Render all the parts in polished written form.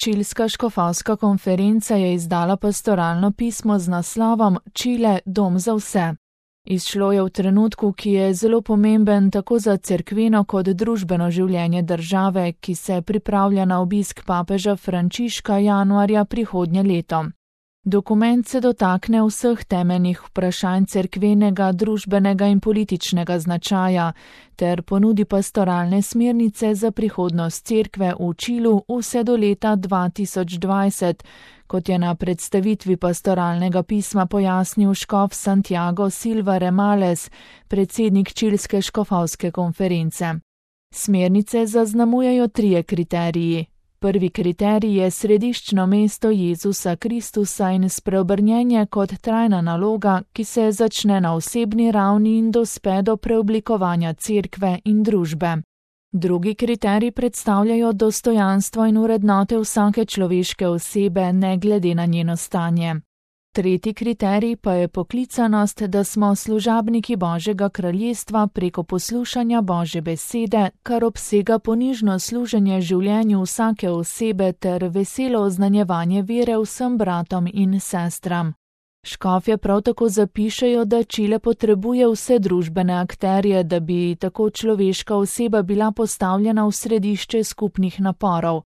Čilska škofovska konferenca je izdala pastoralno pismo z naslovom Čile, dom za vse. Izšlo je v trenutku, ki je zelo pomemben tako za cerkveno kot družbeno življenje države, ki se pripravlja na obisk papeža Frančiška januarja prihodnje leto. Dokument se dotakne vseh temeljnih vprašanj cerkvenega, družbenega in političnega značaja ter ponudi pastoralne smernice za prihodnost cerkve v Čilu vse do leta 2020, kot je na predstavitvi pastoralnega pisma pojasnil škof Santiago Silva Remales, predsednik Čilske škofovske konference. Smernice zaznamujejo 3 kriteriji. Prvi kriterij je središčno mesto Jezusa Kristusa in spreobrnjenje kot trajna naloga, ki se začne na osebni ravni in dospe do preoblikovanja cerkve in družbe. Drugi kriterij predstavljajo dostojanstvo in vrednote vsake človeške osebe, ne glede na njeno stanje. Tretji kriterij pa je poklicanost, da smo služabniki Božjega kraljestva preko poslušanja Božje besede, kar obsega ponižno služenje življenju vsake osebe ter veselo oznanjevanje vere vsem bratom in sestram. Škofje prav tako zapišejo, da Čile potrebuje vse družbene akterje, da bi tako človeška oseba bila postavljena v središče skupnih naporov.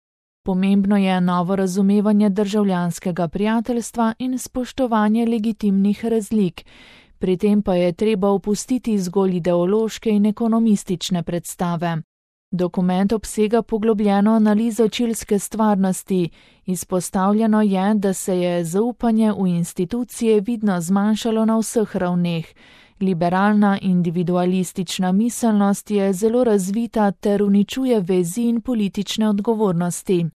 Pomembno je novo razumevanje državljanskega prijateljstva in spoštovanje legitimnih razlik, pri tem pa je treba opustiti zgolj ideološke in ekonomistične predstave. Dokument obsega poglobljeno analizo čilske stvarnosti. Izpostavljeno je, da se je zaupanje v institucije vidno zmanjšalo na vseh ravneh. Liberalna individualistična miselnost je zelo razvita ter uničuje vezi in politične odgovornosti.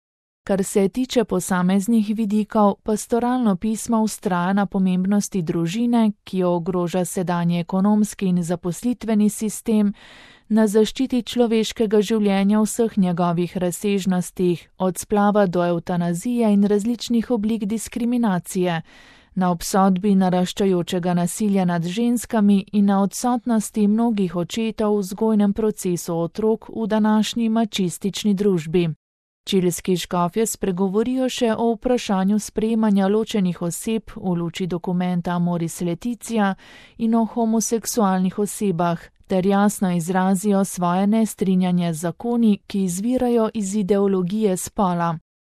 Kar se tiče posameznih vidikov, pastoralno pismo vztraja na pomembnosti družine, ki jo ogroža sedanji ekonomski in zaposlitveni sistem, na zaščiti človeškega življenja v vseh njegovih razsežnostih, od splava do evtanazije in različnih oblik diskriminacije, na obsodbi naraščajočega nasilja nad ženskami in na odsotnosti mnogih očetov v vzgojnem procesu otrok v današnji mačistični družbi. Čilski škofje spregovorijo še o vprašanju sprejemanja ločenih oseb v luči dokumenta Amoris Laetitia in o homoseksualnih osebah, ter jasno izrazijo svoje nestrinjanje z zakoni, ki izvirajo iz ideologije spola.